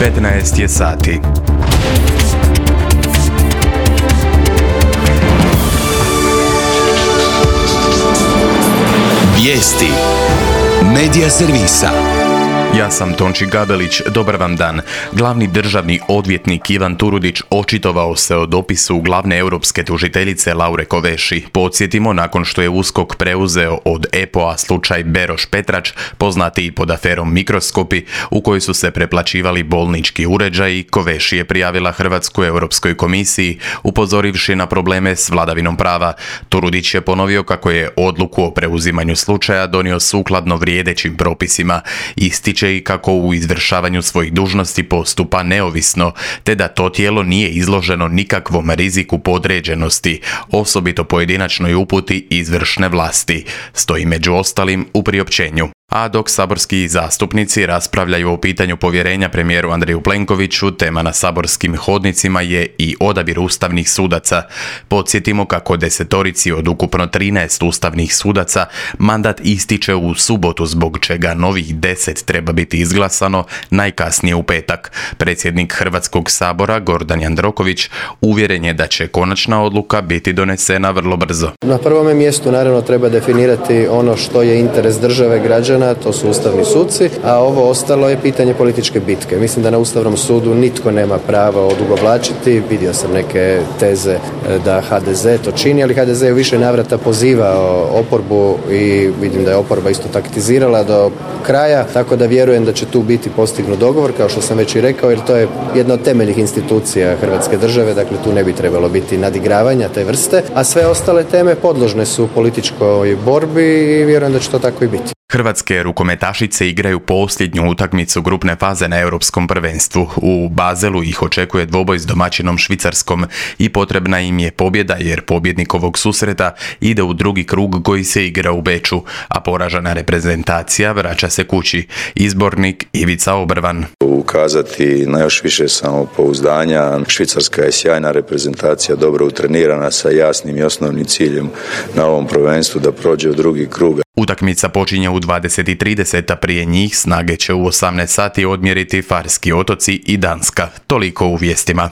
15 je sati. Vijesti Medija servisa. Ja sam Tonči Gabelić, dobar vam dan. Glavni državni odvjetnik Ivan Turudić očitovao se o dopisu glavne europske tužiteljice Laure Kovesi. Podsjetimo, nakon što je USKOK preuzeo od EPO-a slučaj Beroš Petrač, poznati i pod aferom Mikroskopi, u kojoj su se preplaćivali bolnički uređaji, Kovesi je prijavila Hrvatsku Europskoj komisiji, upozorivši na probleme s vladavinom prava. Turudić je ponovio kako je odluku o preuzimanju slučaja donio sukladno vrijedećim propisima. Ističe i kako u izvršavanju svojih dužnosti postupa neovisno, te da to tijelo nije izloženo nikakvom riziku podređenosti, osobito pojedinačnoj uputi izvršne vlasti, stoji među ostalim u priopćenju. A dok saborski zastupnici raspravljaju o pitanju povjerenja premijeru Andreju Plenkoviću, tema na saborskim hodnicima je i odabir ustavnih sudaca. Podsjetimo kako 10 od ukupno 13 ustavnih sudaca mandat ističe u subotu, zbog čega novih 10 treba biti izglasano najkasnije u petak. Predsjednik Hrvatskog sabora Gordan Jandroković uvjeren je da će konačna odluka biti donesena vrlo brzo. Na prvome mjestu naravno treba definirati ono što je interes države, građana, to su ustavni suci, a ovo ostalo je pitanje političke bitke. Mislim da na Ustavnom sudu nitko nema pravo odugovlačiti. Vidio sam neke teze da HDZ to čini, ali HDZ je u više navrata pozivao oporbu i vidim da je oporba isto taktizirala do kraja, tako da vjerujem da će tu biti postignut dogovor, kao što sam već i rekao, jer to je jedna od temeljnih institucija Hrvatske države, dakle tu ne bi trebalo biti nadigravanja te vrste, a sve ostale teme podložne su političkoj borbi i vjerujem da će to tako i biti. Hrvatske rukometašice igraju posljednju utakmicu grupne faze na Europskom prvenstvu. U Baselu ih očekuje dvoboj s domaćinom Švicarskom i potrebna im je pobjeda, jer pobjednik ovog susreta ide u drugi krug koji se igra u Beču, a poražena reprezentacija vraća se kući. Izbornik Ivica Obrvan. Ukazati na još više samopouzdanja. Švicarska je sjajna reprezentacija, dobro utrenirana, sa jasnim i osnovnim ciljem na ovom prvenstvu da prođe u drugi krug. Utakmica počinje u 20:30, a prije njih snage će u 18 sati odmjeriti Farski otoci i Danska. Toliko u vijestima.